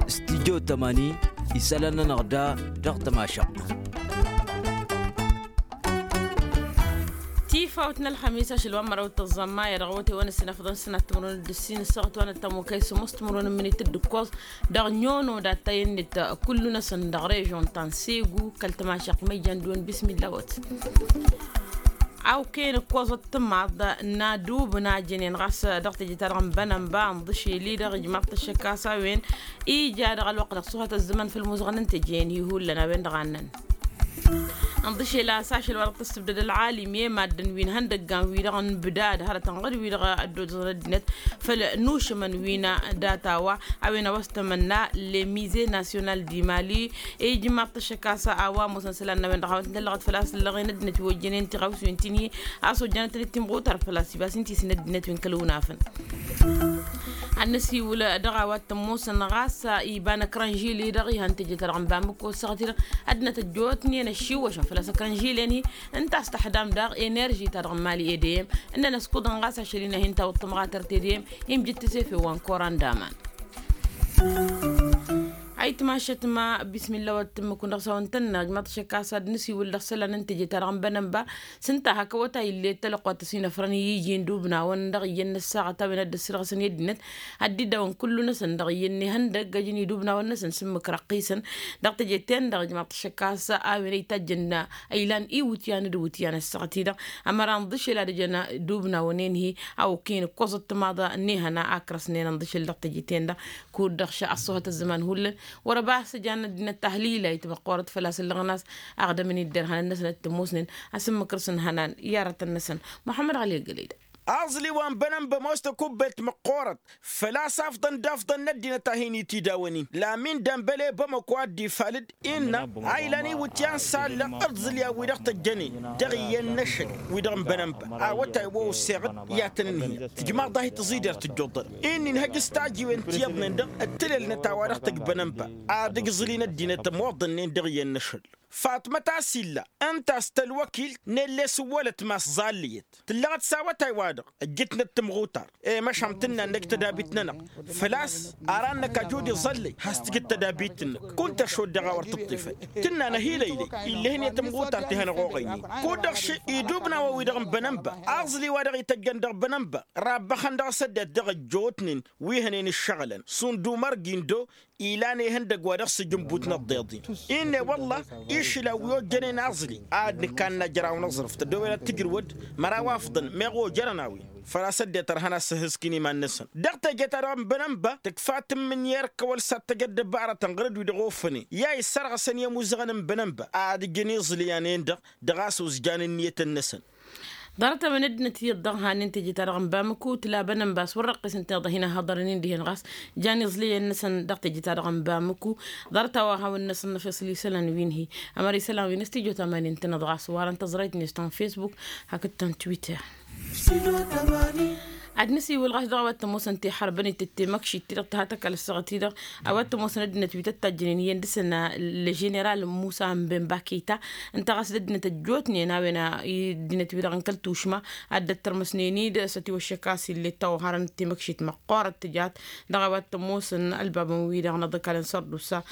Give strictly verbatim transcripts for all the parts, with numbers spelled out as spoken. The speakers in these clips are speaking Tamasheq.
Stidyo tămani isălan-nănăɣ da dăɣ-tămašăɣt. Tifawt n-ălxămis ašăl wa n-măraw d-tăẓẓa n-maya dăɣ-awătay wa n-ăssinafăḍăn sănat timǝrwen d-ǝssin ăssaɣăt wa n-ăttămokay sămoos timǝrwen n-minit d-ǝkkoẓ dăɣ-nyono d-attăy-net. Kullu-năsăn dăɣ-režion ta n-segu kăl-tămašăɣt ma ijan d-wăn bismilla wăt. Awken ǝkkoẓăt tǝmmaḍ n-adub n-ajănen ɣas dăɣ-teje-ta-dăɣ n-bănănba ǝnḍǝšel-i-dăɣ ijmaḍ-t ăššăk a-s a-wen ija dăɣ-ălwăqq dăɣ-suhăt ăzzăman făll-imuzăɣăn n-teje-en-hi hullan a-wen-dăɣ a ǝnnăn. Ǝnḍǝšel a-s ašăl wa dăɣ-tǝssǝbdăd ălɣalim i-maddǝn wi n-ihăndăggan-wi-dăɣ n-bǝdad hărătăn ɣǝd-wi-dăɣ ăddootăẓăn ăddinăt făll-nušǝmăn wi n-data wa a-wen a-wa s-tămănna le mize nasyonal di mali. Ijmaḍ-t ăššăk a-s a-wa ămoosăn isălan n-a-wen-dăɣ hawăn-tăn-tăllăɣăt făl-a-s ǝllăɣen ăddinăt wi ojjănen tiɣawsiwen ti n-hi a-s ojjanăt-tăn d-timɣutar făl-a-s ibas n-tisǝn ăddinăt wi n-kăl-iwǝnafăn. Ad-năsiwǝl dăɣ-a-wa t-ămoosăn ɣas iba n-ăkrănžile-dăɣ ihăn teje-ta-dăɣ n-bamǝko ăssaɣăt-i-dăɣ ăddinăt ăjjootnen ăššiwwăšăn făl-a-s ăkrănžile-ni. Ǝnta a-s tăḥdam daɣ enerži-ta-dăɣ n-mali edeyăm ǝnnăn ăskuḍăn ɣas ašăl-in a hin-tawǝḍ tămɣatărt edeyăm. Imjǝt tisefe wa n-koran d-aman. Ayǝtmašăt ma bismilla wa t-tǝmmǝkun dăɣ-s a-wen tănna ǝjmaḍ-t šăkk a-s ad-nǝsiwǝl dăɣ-isălan n-teje-ta-dăɣ n-bănănba. S-ǝnta hak awătay ill'-e d-talăqquat ăsinăfrăn i-iji n-idubnawăn dăɣ-iyyăn n-ăssaɣăt a-wen ad-dd-ăssirɣăsăn i-ăddinăt ad-dd-iddawăn kullu-năsăn dăɣ-iyyăn ihăndăg ăj n-idubnawăn-năsăn s-ǝmmǝk răqqisăn. Dăɣ-teje-ten-dăɣ ǝjmaḍ-t šăkk a-s a-wen ăytajjăn ăylan iwǝtyan d-iwǝtyan ăssaɣăt-i-dăɣ ămăra ǝnḍǝšel ad-ăjăn idubnawăn-en-hi. A okăyăn ǝkkoẓăt timaḍa n-ehăna a ǝkrăsnen ǝnḍǝšel dăɣ-teje-ten-dăɣ kud-dăɣ ăṣṣuhăt ăzzăman hullan. Wăr-ăba a-s ǝjan ăddinăt tahlila itmăqqorăt făl-a-s ǝllăɣăn a-s aɣdămăn-dd irhăn-năsăn d-tămoosnen. Asǝmmǝk-năsăn ihănan i-arătăn-năsăn muḥămmăd ɣali ăggălăy-dăɣ. Aẓli wa n-bănănba ămoos tăkubbelt măqqoorăt făl-a-s afḍăn d-afḍăn n-ăddinăt a hin-itidawăn-in lamin dănbăle bămăko ad-dd-ifalǝd innă a ilan iwǝtyan s-allăɣ ǝẓǝlyan wi-dăɣ tăjjănen dăɣ-iyyăn n-ašăl wi-dăɣ n-bănănba. Awătay wa osseɣ-dd i-ad-tăn-ǝnhǝyăt tǝjmaḍ-dah i-tǝẓider tǝjjuḍăr-dd. Inn'-in hăj s-tajiwen ti iyyăḍnen-dăɣ ǝttǝlălnăt a-wa dăɣ-tăj bănănba ad-ǝgǝẓǝlin ăddinăt ămoḍănnen dăɣ-iyyăn n-ašăl. Fatmăt a-s illa ǝnta a-s tălwăkilt n-elles ǝwwălăt mass ẓallǝyăt tǝllăɣăt s-awătay-wa-dăɣ ǝjjǝtnăt timɣutar. I-măšan tǝnna-năk tădabit-nănăɣ făl-a-s ara-năk ajud iẓăllăy has-tǝjǝd tădabit-năk. Kunta šod dăɣ-a wăr tǝṭṭifăd tǝnna-năh ilăylăy. Illăhăn i-timɣutar ti hanăɣ-oɣăynen kud-dăɣ ši idubnawăn-wi-dăɣ n-bănănba. Aẓli wa dăɣ-ităjjăn dăɣ-bănănba rabbăxăn dăɣ-s ăddinăt dăɣ-ăjjootnen wi hănen ǝššăɣǝlăn šund umăr gindo ilan ihăndăgg wa dăɣ-s ǝjǝnbut n-ăḍḍeḍ-in. Inne wălla išǝlan wi ojjănen aẓli ad-nǝkanna jăraw n-aẓrǝf tăddoben ad-tǝjrǝwăd măraw afḍăn meɣ ojărăn a-wen făl-a-s ăddinăt ărhăn ad-sǝhhǝskǝn iman-năsăn. Dăɣ-teje-ta-dăɣ n-bănănba tǝkfa tǝmmǝnǝy erk kăwăl s-ad-tăj ăddăbarătăn ɣur-dd wi-dăɣ ofănen i-a issărɣăsăn i-ămuzzăɣăn n-bănănba ad-ǝjǝn iẓlǝyan-en-dăɣ dăɣ-a-s uzjan ǝnniyătăn-năsăn. Ḍarăt-a-wen ăddinăt iyyăḍ dăɣ-hanen teje-ta-dăɣ n-bamǝku tǝla bănănba a-s wăr răqqisăn tiḍa hin-ăhhăḍărăn-in dihen ɣas jan iẓlǝyăn-năsăn dăɣ-teje-ta-dăɣ n-bamǝku. Ḍarăt-a-wa hawăn-năsăn năfeṣăl isălan wi n-hi ămăra isălan wi n-studyo tamanin tănăḍ ɣas warăn tăẓrayt-net ta n-facebook hakd ta n-twitter. Ad-nǝsiwǝl ɣas dăɣ-a-wa t-ămoosăn tihărbăn itǝtte măkšit-ti-dăɣ tǝha tăkall ăssaɣăt-i-dăɣ a-wa t-ămoosăn ăddinăt wi tăt-tajjănen iyyăn dăɣ-săn. Ălženeral musa n-bănba kăyta ǝnta ɣas d-ăddinăt ăjjootnen a-wen ăddinăt-wi-dăɣ n-kăl-tušma ad-dd-ăttărmăsnen-dd s-ătiwăššăk a-s ill'-e d-tawharăn timăkšit măqqoorăt tǝjat dăɣ-a-wa t-ămoosăn ălbabăn wi-dăɣ n-aḍǝkal n-sărdusa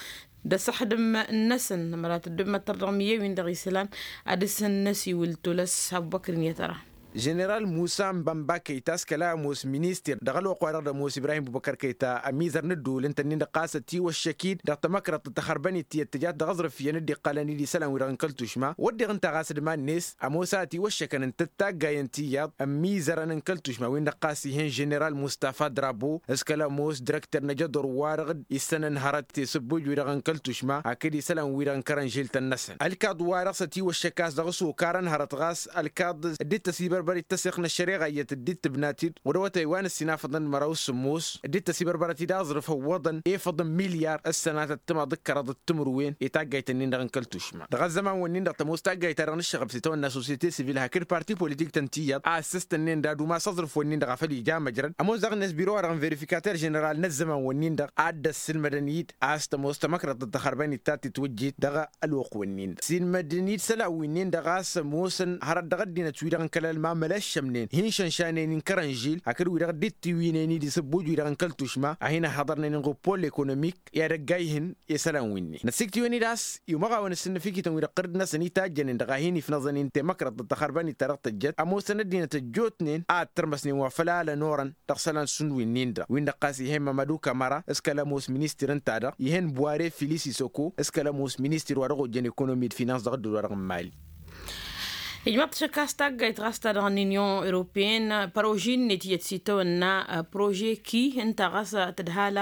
d-asăxdǝm-năsăn ămăra tăddob măttăr dăɣ-miyye-win-dăɣ isălan. Ad-dăɣ-săn năsiwǝl tolăs abubăkr n-iyyăt ăra. Ženeral musa n-bănba kăyta s-kăla ămoos ministir dăɣ-ălwăqq-wa-dăɣ d-ămoos ibrahim bubăkăr kăyta ămizăr n-ădduul ǝnta-nin-dăɣ ɣas ătiwăššăk-dd dăɣ-tamăkrăḍt d-taxărbănit tiyyăt tǝjat dăɣ-aẓrǝf iyyăn dd-iqqălăn-dd isălan-wi-dăɣ n-kăl-tušma wădden ǝnta ɣas d-iman-net ămoos a ătiwăššăkăn ǝnta d-taggayăn tiyyăḍ n-imizărăn n-kăl-tušma-win-dăɣ ɣas ih'-en ženeral mustafa drabo s-kăla ămoos dirăkter n-ajăḍur-wa-dăɣ d-issănăn hărăt tesǝbbuj-wi-dăɣ n-kăl-tušma hakd isălan-wi-dăɣ n-kărănžiltăn-năsăn ălkaḍ-wa-dăɣ s-ătiwăššăk a-s dăɣ-s okar n-hărăt ɣas ălkaḍ dd-tăsibărbăr d-tăsiɣt n-ăššăreɣa iyyăt dd-tǝbnat-dd wăr-awătay wa n-ǝssinafăḍăn d-măraw s-sǝmmos dd-tăsibărbărăt-dd aẓrǝf ăwwăḍăn efăḍ n-milyar ăssănatăt timaḍ d-kăraḍăt timǝrwen i-taggayt-nin-dăɣ n-kăl-tušma. Dăɣ-ăzzăman-wǝnnin-dăɣ tămoos taggayt-ta-dăɣ n-ǝššăɣăb s-itawănna sosiyete sivil hakd parti politik-tăn tiyyăḍ a ǝssǝstănnen d-ad-umas aẓrǝf-wǝnnin-dăɣ a făl ija măjrăd ămoos daɣ-net biro-wa-dăɣ n-verificater ženeral n-ăzzăman-wǝnnin-dăɣ a dd-ăssilmădăn-dd a-s tămoos tamăkrăḍt d-taxărbănit ta tǝtwǝjjit dăɣ-ălwăqq-wǝnnin-dăɣ silmădăn-dd isălan-winnin-dăɣ a-s ămoosăn hărăt dăɣ-ăddinăt-wi-dăɣ n-kăl-ălman. ămălăššămnen hin-šănšanen inkărăn žil hakd wi-dăɣ dd-tiwǝynen idis ăbbuj wi-dăɣ n-kăl-tušma a hin-ăhhăḍărnen n-ɣopol ekonomik i-ad-ăgg-ayhǝn i-isălan wi-nin năsiktǝyăn-dd a-s i-umăɣawăn s-innăfikităn wi-dăɣ tărǝd-năsăn itajjănen dăɣ-a hin-ifnăẓăn i n-temăkrăḍt d-taxărbăn i-ta-dăɣ tăjjăt ămoosăn ăddinăt ăjjootnen a ăttărmăsnen wa făl alăn orăn dăɣ-isălan šund wi-nin-dăɣ win-dăɣ ɣas ih'-e mămădu kămăra s-kăl-ămoos ministir ǝnta-dăɣ ih'-en buware filis isăko s-kăl-ămoos ministir wa dăɣ-ojjăn ekonomi d-finans dăɣ-ǝddǝl-wa-dăɣ n-mali. Ijmăḍ-t šăkkas taggayt ɣas ta dăɣ-ninion europeen păroži-net iyyăt s-itawănna prože ki ǝnta ɣas tǝdhal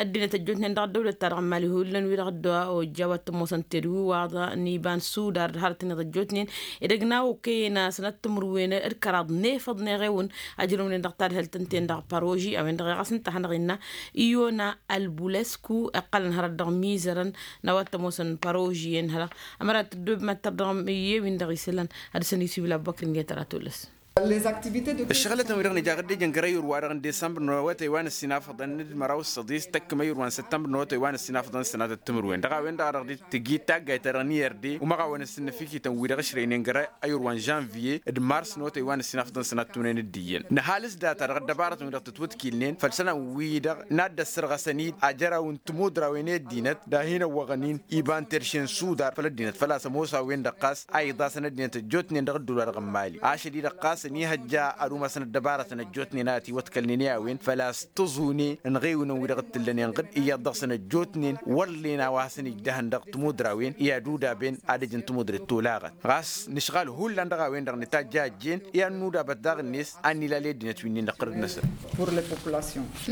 ăddinăt ăjjootnen dăɣ-ăddăwlăt-ta-dăɣ n-mali hullan wi-dăɣ dd-ojja wa t-ămoosăn tedwiwaḍ n-iba n-sudar d-harăt-net ăjjootnen edăgg n-a okăyăn sănăt timǝrwen d-kăraḍ n-efăḍ n-eɣewăn ăjrăwnen dăɣ-tadhǝlt ǝnta-en-dăɣ păroži a-wen-dăɣ i-ɣas ǝnta a hanăɣ-innă iyona ălbulesku iqqălăn hărăt dăɣ-imizărăn n-a-wa t-ămoosăn păroži-en hărăt ămăra tăddob mad-tărdăɣăm i-e-win-dăɣ isălan ad-dăr-săn isiwǝl abbăkr n-iyyăt ara tolăs. Ǝššăɣǝlătăn wi-dăɣ nǝja ɣǝddejăn găr-ayǝr-wa-dăɣ n-desămbăr n-awătay wa n-ǝssin afăḍăn n-dd-măraw s-săḍis tăkk măyǝr wa n-săttămbăr n-awătay wa n-ǝssin afăḍăn s-sănatăt timǝrwen dăɣ-a-wen-dăɣ a dăɣ-dd tǝjjǝy taggayt-ta-dăɣ n-i r d umăɣawăn s-innăfikităn wi-dăɣ ǝšrăynen găr-ayǝr wa n-žănviye d-mars n-awătay wa n-ǝssin afăḍăn s-sănatăt timǝrwen d-iyyăn nǝhalǝs data-dăɣ ăddăbarătăn wi-dăɣ tǝtwǝtkilnen făll-isălan wi-dăɣ n-ad-dd-ăssărɣăsăn-dd ajăraw n-tămudrawen i-ăddinăt d-ad-hin-ăwwăɣăn-in iba n-terše n-sudar făll-ăddinăt făl-a-s ămoos a-wen-dăɣ ɣas a iḍasăn ăddinăt ăjjootnen dăɣ-ǝddǝwla-dăɣ n-mali ašăl-i-dăɣ ɣas ănihăjja ad-umasăn ăddăbarătăn ăjjootnen a ătiwăḍkălnen i-a-wen făl-a-s tǝẓune ănɣewnăn wi-dăɣ t-tǝllănen ɣǝd iyyăḍ dăɣ-săn ăjjootnen wăllen a-wa hasăn-ijdăhăn dăɣ-tămudrawen i-ad-udaben ad-ăj n-tămudret tolaɣăt ɣas nǝšɣal hullan dăɣ-a-wen-dăɣ nǝtajj a ăjjeen i-ad-nudabăt daɣ-net ad-nǝla ledinăt wi-nin-dăɣ tărǝd-năsăn.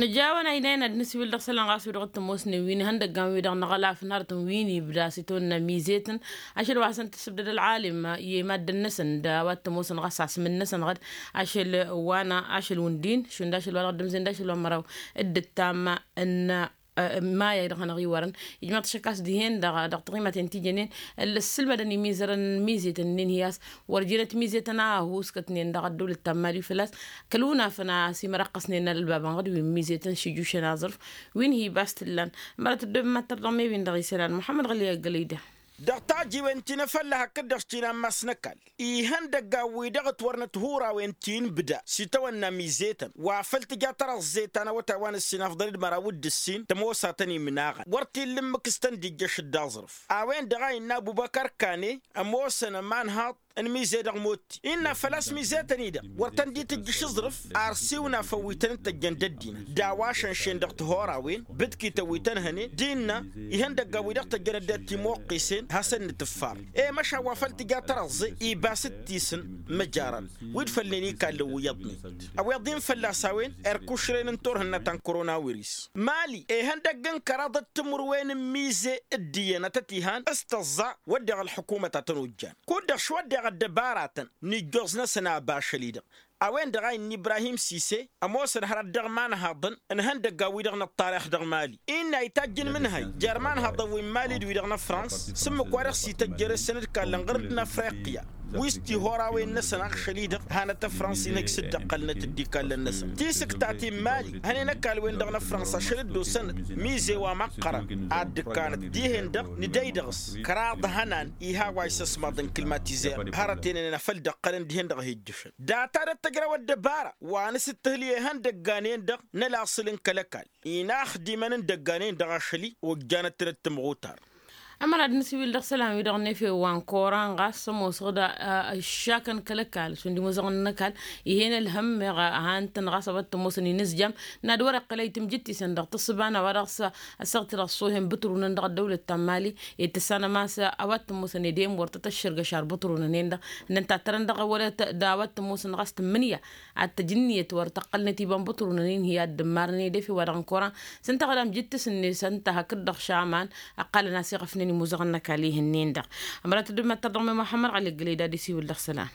Nǝjawăn a inayăn ad-nǝsǝwǝl dăɣ-isălan ɣas wi-dăɣ t-ămoosnen wi n-ihăndăggan wi-dăɣ n-aɣălaf n-harătăn wi n-ibda s-itawănna mizet-n ašăl wa hasăn-tǝssǝbdăd ălɣalim i-maddǝn-năsăn d-a-wa t-ămoosăn ɣas asǝm-năsăn ɣǝd ašăl wa n-ašăl wǝndin šund ašăl wa dăɣ-dd-ǝmzen d-ašăl wa n-măraw d-ǝttam n-maya i-dăɣ hanăɣ-iwărăn. Ijmăḍ-t šăkkas dihen-dăɣ dăɣ-tiɣimaten ti jănen ǝssǝlmădăn imizărăn n-mizet-nin hi-a-s wăr jenăt mizet-ănn a ăhuuskătnen dăɣ-ăddăwlăt ta n-mali făl-a-s kăl-unafăn a-s imărăqqăsnen ălbabăn ɣǝd wi n-mizet-ǝnn šǝjjušăn aẓrǝf wi n-hi-bas t-ǝllan. Mărăt ăddoobăn mad-tărdăɣ mewin dăɣ-isălan muḥămmăd ɣǝli ăggălăy da. Dăɣ-tajiwen ti n-afălla hakd-dăɣ-s ti n-ammas n-ăkall ihăndăggan-wi-dăɣ ǝtwărnăt hurawen ti n-ibda s-itawănna mizet-ǝnn wa făl tǝja tărăẓẓe ta n-awătay wa n-ǝssin afḍăn d-măraw d-ǝssin tămoosatăn imnaɣăn wăr t-illa ǝmmǝk s-tăn-dd-ijjăš d-aẓrǝf. A-wen-dăɣ a innă abubăkăr kane ămoosăn ămanhaḍ n-mize dăɣ-motti innă făl-a-s mizet-ănidăɣ wăr tăn-dd-itǝjjǝš aẓrǝf. Ar siwǝnafăn wi tăn-dd-tăjjăn d-ăddinăt d-a-wa šănšen dăɣ-tihora-wen bǝdkităn wi tăn-hănen d-innă ihăndăggan wi dăɣ-tăjjăn ăddinăt timoqqisen hasăn-nǝtǝffar. E-măšan wa făl tǝja tărăẓẓe ibas d-tisǝn măjarăn wi d-fălnen ikallăn wi iyyăḍnen. Ăweḍ-in fălla-s a-wen erk ušren n-turhǝnna ta n-koronawiris mali ihăndăgg n-kăraḍ d-timǝrwen n-mize d-iyyăn a tăt-ihan s-tăẓẓa wădden ălḥukumăt a tăn-ojjan kud-dăɣ šwădden ăddăbaratăn n-ijjoẓ-năsăn aba ašăl-i-dăɣ. A-wen-dăɣ a innă ibrahim sise ămoosăn hărăt dăɣ-imanhaḍăn n-ihăndăggan-wi-dăɣ n-ăṭṭarix dăɣ-mali innă a itajj n-imǝnhăy jer-imanhaḍăn wi n-mali d-wi-dăɣ n-afrans s-ǝmmǝk wa dăɣ-s ităjjăr-e-săn d-kallăn ɣur-dd n-afriqya. Wi s-tihora-wen-năsăn aɣšăl-i-dăɣ hanăt-afrans inhǝj s-dd-ăqqălnăt dd-ikallăn-năsăn tisǝkta ti n-mali hănen ăkall-wen-dăɣ n-afrans ašăl dd-osănăt mize wa măqqărăn. Ad-dd-ǝkkanăt dihen-dăɣ nǝdăy dăɣ-s kăraḍ hănan iha wa isăsmaḍăn kǝlmatizer hărăt enănen afăl dd-ăqqălăn dihen-dăɣ hi-ǝjjǝšăn data d-ăttăjrăw ăddăbara wa nǝsǝttǝhǝl i-ihăndăggan-en-dăɣ n-ălaṣǝl n-kăl-ăkall inaxdimăn n-idăggan-en-dăɣ ašăl-i ojjanăt-tăn d-timɣutar. Ămăra d-nǝsǝwil dăɣ-isălan-wi-dăɣ n-efew wa n-koran ɣas ămoosăɣ-dd ăššakăn kăl-ăkall šund imuzăɣăn n-ăkall. Ih'-en ălhămmeɣ a han-tăn ɣas a-wa t-ămoosăn inǝzjam n-ad-wăr-iqqǝl ayǝtǝm jǝttisăn dăɣ-tǝssǝba n-a-wa dăɣ-s ăssaɣ-t-dăɣ s-ohăn bǝtrunăn dăɣ-ăddăwlăt ta n-mali. Itǝssanăm a-s a-wa t-ămoosăn edem wăr tăt-ăššărgăš ar bǝtrunăn-en-dăɣ ǝnnăn tattărăn dăɣ-ewălăt d-a-wa t-ămoosăn ɣas tǝmmǝnǝya ad-tăj ǝnniyăt wăr tăqqălnăt iba n-bǝtrunăn-in hi-ad-dd-ǝmmarăn edef i-wa-dăɣ n-koran. S-ǝnta ɣǝdam jǝttǝs-net ǝnta hakd-dăɣ šaman ăqqalăn a-s iɣăfnen imuzăɣăn n-ăkall ih'-ǝnnin-dăɣ. Ămăra tăddob mad-tărdăɣ mi muḥămmăd ɣali ăggălăy d-ad-isiwǝl dăɣ-isălan.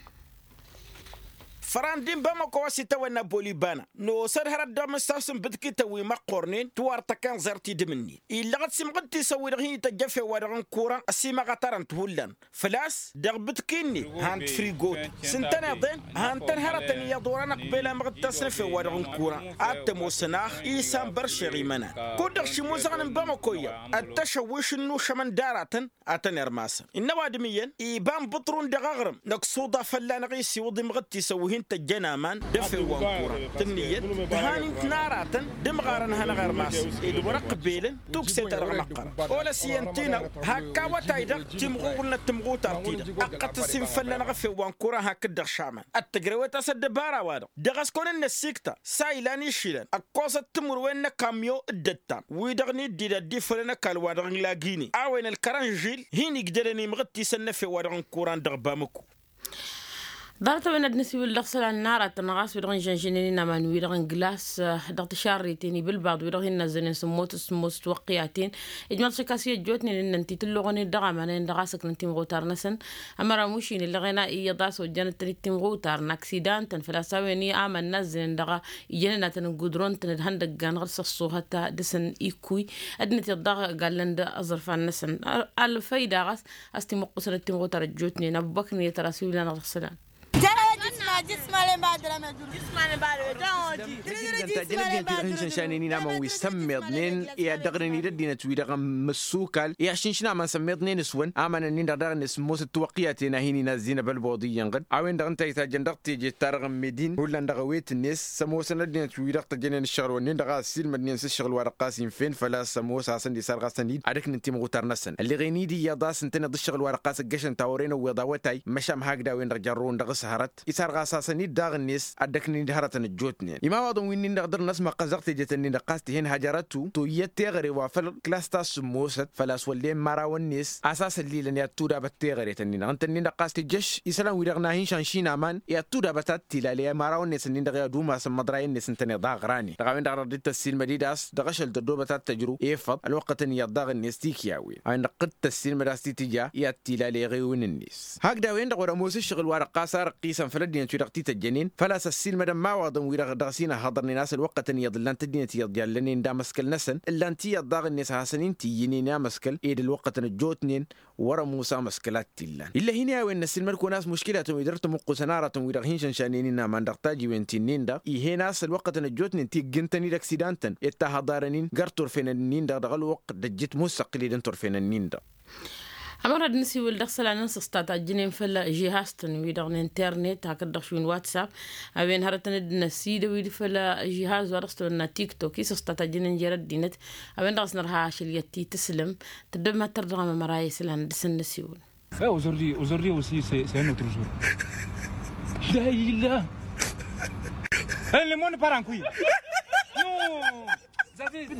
Păran d-inbamăko a-s itawănna bolibana. Nosăd hărăt dăɣ-mǝssas n-bǝdkităn wi măqqornen tiwar tăkănẓert idǝm-nin illăɣăt s-imɣǝd tisăwwi-dăɣ hin-ităjjăfen wa dăɣ-n kuran ăsimăɣătarăn-t hullan. Făl-a-s dăɣ-bǝtki-net han-t frigotăn s-ǝntăneḍ-en han-tăn hărătăn iyyăḍ wăr-anăqbel amɣǝd tasnăfen wa dăɣ-n kuran. Ad-tămoosăn ax isan băršeɣ imănan. Kud-dăɣ šimuzăɣăn n-bamăko iyyăḍ ăttăšăwwiš n-inušămăn d-aratăn ad-tăn-irmasăn. Innă ăwadǝm iyyăn iba n-bǝṭrun dăɣ-aɣrǝm năkk suḍa fălla-năɣ isiwǝḍ imɣǝd tisăwwi hin-tăjjăn aman d-efew wa n-kuran tǝnnǝyăt d-han-in-tǝnaratăn d-imɣarăn hanăɣ-irmasăn ed wăr-ăqbelăn tukse-ta-dăɣ măqqărăn. Olăs iyyăn tinăw hakk awătay-dăɣ timɣuɣǝlnăt timɣutar-ti-dăɣ ăqqăt ăssin fălla-năɣ efew wa n-kuran hakd-dăɣ šaman. Ăttăjrăwet a-s ăddăbara-wa-dăɣ dăɣ-ăskon-net s-ikta s-a ilan išilăn ăkkoẓăt timǝrwen n-ăkamyo d-ăttam wi-dăɣ n-iddid ad-dd-ifălăn ăkall-wa-dăɣ n-lagine a-wen ălkărănžil hin-igdălăn imɣǝttisăn n-efew-wa-dăɣ n-kuran dăɣ-bamǝku. Ḍarăt-a-wen ad-nǝsiwǝl dăɣ-isălan n-aratăn ɣas wi-dăɣ n-žănžănen inaman-wi-dăɣ n-glass dăɣ-tǝšarriten iba ǝlbaḍ wi-dăɣ hin-nazzănen sǝmmos sǝmmos tiwăqqiyăten. Ijmăḍ šik a-s i-ăjjootnen ǝnnăn ti tǝlluɣăn-dd dăɣ-amanăyăn dăɣ-a-s ǝknăn timɣutar-năsăn. Ămăra mušin illeɣen a iyyăḍ a-s ojjănăt-tăn-dd timɣutar n-aksidan-tăn făl-a-s a-wen i-aman nazzănen dăɣ-ijănen ad-tăn-ǝggudron-tăn d-ihăndăggan ɣǝr-săṣṣuhăt dăɣ-săn ikkuy. Ăddinăt iyyăḍ daɣ gallăn-dd aẓrǝfan-năsăn. Ălfăyda ɣas a-s timǝqqusăn d-timɣutar ăjjootnen ăbubăkr n-iyyăt ăra s-iwǝllan dăɣ-isălan. Tijjăn tajjăn ăddinăt wi-dăɣ hin-šănšanen inamăn wi sămmeḍnen i-ad-dăɣrǝn-dd ăddinăt wi-dăɣ n-măssukal i-ad-šǝnšǝn aman sămmeḍnen s-wăn aman-ǝnnin-dăɣ daɣ-net s-ămoosăt tiwăqqiyăten a hin-inazzin abălboḍ iyyăn ɣǝd a-wen-dăɣ ǝnta a itajjăn dăɣ-teje-ta-dăɣ n-medin hullan dăɣ-ewet-net s-ămoosăn ăddinăt wi-dăɣ tăjjănen ǝššăɣǝl-wǝnnin-dăɣ a ăssiilmădnen s-ǝššăɣǝl wa dăɣ-ɣas infen făl-a-s ămoos a hasăn-dd-isarɣasăn-dd ad-ǝknǝn timɣutar-năsăn ălleɣen-dd iyyăḍ a-s ǝntăneḍ ǝššăɣǝl wa dăɣ-ɣas ǝggăšăn tawăren ăwweḍ awătay măšan hakd a-wen-dăɣ jarrăwăn dăɣ-s hărăt isarɣas-asăn-dd daɣ-net ad-dd-ăknăn-dd hărătăn ăjjootnen imawaḍăn wi-nin-dăɣ dăr-năsmăqqăs dăɣ-tejet-nin-dăɣ ɣas tǝhen hajărătu toyyăt teɣăre wa făl klas ta s-sǝmmosăt făl-a-s wăllen imărawăn-net a-s asăllilăn i-ad-tudabăt teɣăret-nin-dăɣ ǝnta-nin-dăɣ ɣas tǝjjăš isălan-wi-dăɣ n-ad-hin-šanšin aman i-ad-tudabăt ad-t-ilale imărawăn-net-nin-dăɣ i-ad-umasăn măḍrayăn-net ǝntăneḍ aɣrane dăɣ-a-wen-dăɣ dăɣ-dd-tăssiilmăd-dd a-s dăɣ-ašăl tăddobăt ad-tăjrǝw efăḍ ălwăqqătăn iyyăḍ daɣ-net tikyawen a-wen-dăɣ dd-tăssiilmăd a-s t-tǝja i-ad-t-ilale eɣewǝn-net. Hakd a-wen-dăɣ wăr-ămoos ǝššăɣǝl wa dăɣ-ɣas ar ǝqqisăn făll-ăddinăt wi-dăɣ t-tăjjănen făl-a-s ăssiilmădăn imawaḍăn-wi-dăɣ dăɣ-s inhăḍărnen a-s ălwăqqătăn iyyăḍ ǝllan-t ăddinăt iyyăḍ jallănen d-amăskăl-năsăn ǝllan-t iyyăḍ daɣ-net a hasăn-in-t-iyyǝnen i-amăskăl ed ălwăqqătăn ăjjootnen wăr-ămoos amăskăl a t-illan. Ill'-e hin-i a-wen năssiilmăd-kăwăn a-s muškilatăn wi dăr-tamǝqqusăn aratăn wi-dăɣ hin-šănšanen inaman dăɣ-tajiwen ti-nin-dăɣ ih'-en a-s ălwăqqătăn ăjjootnen ti ǝggǝntăn-dd ăksidan-tăn i-dd-tahăḍarăn-in gar turfenăn-nin-dăɣ dăɣ-ălwăqq d-ăjjǝt musăqqǝl-dd n-turfenăn-nin-dăɣ. Ămăra d-nǝsiwǝl dăɣ-isălan n-săstat a ǝjjǝnen făll-žihaz-tăn-wi-dăɣ n-internet hakd-dăɣ šund whatsapp a-wen hărătăn dd-năsidăw-dd făll-žihaz wa dăɣ-s tăwănna tiktok i-săstat a ǝjjǝnen jer-ăddinăt. A-wen-dăɣ a-s nărha ašăl i-ad-t-tǝslǝm tăddăb ma tărdăɣăm ămăra i-isălan dăr-săn nǝsiwǝl. Aujourd'hui aussi c'est un autre jour. Illa illa. Ella moni parankuy.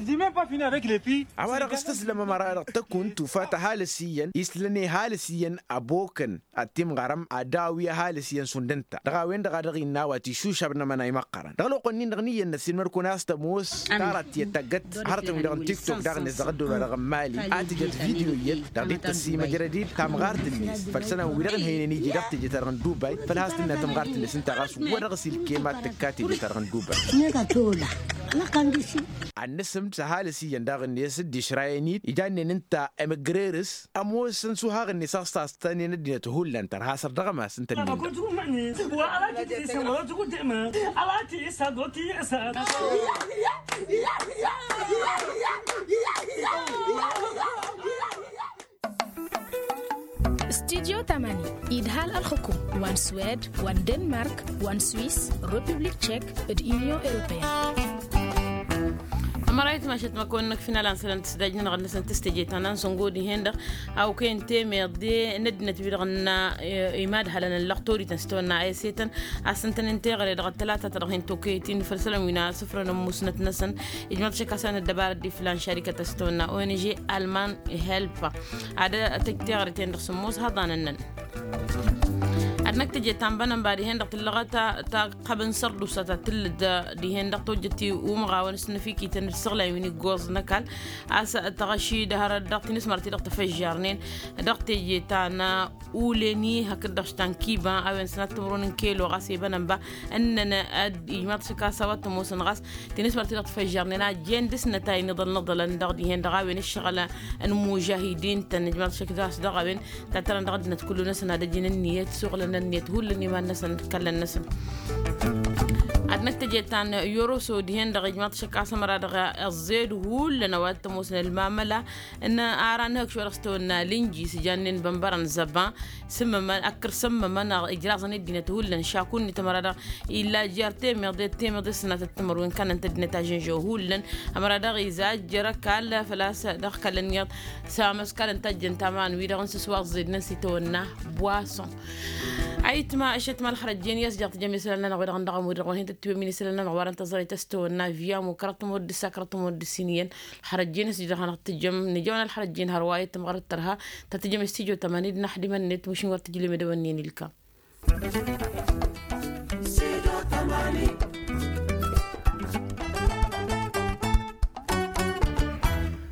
Dime pa fini avec les filles. A-wa-dăɣ s-tǝslăm ămăra-dăɣ tăkunt tufa tăhalǝs iyyăn islăn ihalǝs iyyăn ăbokăn ad-t-imɣarăm ad-dăɣ-awi ăhalǝs iyyăn šund ǝnta dăɣ-a-wen-dăɣ a dăɣ-innă a-wa t-išušab n-amănay măqqărăn dăɣ-ălwăqq-nin-dăɣ n-iyyăn n-ăssiilmăd-kăwăn a-s tămoos tarat tiyyăt tăggăt hărătăn-wi-dăɣ n-tiktok daɣ-net dăɣ-ăddol wa dăɣ-n mali a tǝjăt video iyyăt dăɣ-dd-tăssimăj rădid tamɣart-net făll-isălan-wi-dăɣ n-hăynen iji dăɣ-teje-ta-dăɣ n-dubay făll-has-tǝnna tamɣart-net ǝnta ɣas wăr-dăɣ-s ilkem ad-tǝkka teje-ta-dăɣ n-dubay. Ad-nǝsǝmd s-ăhalǝs iyyăn daɣ-net dd-išrayăn-dd ijannen ǝnta ămǝgrerǝs ămoosăn s-uhaɣ-net a-s tastănen ăddinăt hullan tărha săr dăɣ-ămas ǝnta-nin-dăɣ. Studyo tamani idhal ălxukum wa n-swed wa n-denmark wa n-swiss republik tchek d-union europeyăn. Ămăra itmašăt măkăwăn-năk finălan sălăn tǝsdajnăn ɣăr-năsăn tǝstejăy ta n-ansăngo dihen-dăɣ a okăyăn temeḍe n-ăddinăt wi-dăɣ n-imadhălăn n-lăxtorităn s-tawănna ayăsetăn a-s ǝntănen teɣăre dăɣ-ăttălata ta dăɣ-hin-tokăyăt-in făll-isălan wi n-asǝfrănăn musnăt-năsăn. Ijmăḍ šăkk a-s a n-ăddăbarăt d-iflan šarikăt a-s tawănna ong alman helpa ad-tăj teɣăre-ten-dăɣ sǝmmos hăḍanăn-năn. Ad-năk teje ta n-bănănba dihen-dăɣ tǝllăɣăt ta ăqqabăn sărdusa ta tǝllǝd dihen-dăɣ tojjăt i-umɣawăn s-năfikităn d-isăɣlay win-iggoẓ n-ăkall. A-s tăɣăšid hărăt dăɣ-tinismărt-i-dăɣ tăfăžžarnen dăɣ-teje ta n-ulen-i hakd-dăɣ š-ta n-kiba a-wen sănat timǝrwen n-kelo ɣas i-bănănba ǝnnăn ad-ijmaḍ šăkk a-s a-wa t-ămoosăn ɣas tinismărt-i-dăɣ tăfăžžarnen a jen dăr-s nătay n-iḍăl n-iḍălăn dăɣ-dihen-dăɣ a-wen ǝššăɣǝl n-imužahidin-tăn ijmaḍ šăkk a-s dăɣ-a-wen. Tattărăn dăɣ-ăddinăt kullu-năsăn ad-ăjǝn ǝnniyăt suɣǝlăn ănniyăt hullan iman-năsăn d-kăllăn-năsăn. Ad-năk teje ta n-yoroso dihen-dăɣ ijmaḍ šăkk a-s ămăra dăɣ-ăẓẓed hullan a-wa t-ămoosăn ălmamăla n-ara n-hăkš wa dăɣ-s tăwănna lǝnjis jannen bănbărăn zăba. Sǝmmămăn ăkkăr sǝmmămăn ijraẓăn i-ăddinăt hullan šakun-net ămăra dăɣ-illa jer-temeḍe temeḍe sănatăt timărwen kannăn-t ăddinăt ažănžăw hullan. Ămăra dăɣ-iza jer-ăkall făl-a-s dăɣ-kallăn iyyăḍ s-amăskalăn tajjăn taman-wi-dăɣ n-sǝswa ăẓẓednen s-itawănna boison. Ayǝtma ăššătma ălxărăjjen i-ăsjăɣ tǝjăm isălan-nănăɣ wi-dăɣ n-dăɣ ămud-dăɣ wa hin-tătwem isălan-nănăɣ wa dăɣ-n tăẓrăyt s-tawănna via mukărăt tămud d-sakărăt tămud d-siniyăn. Ălxărăjjen ăsjăɣ hanăɣ-tǝjăm nǝjăwăn ălxărăjjen hărwa i-tămɣărăt tărha. Tătǝjăm s-tijo tămani d-năxdimăn-net mušin wăr tǝjlem edăwănnen ilkam.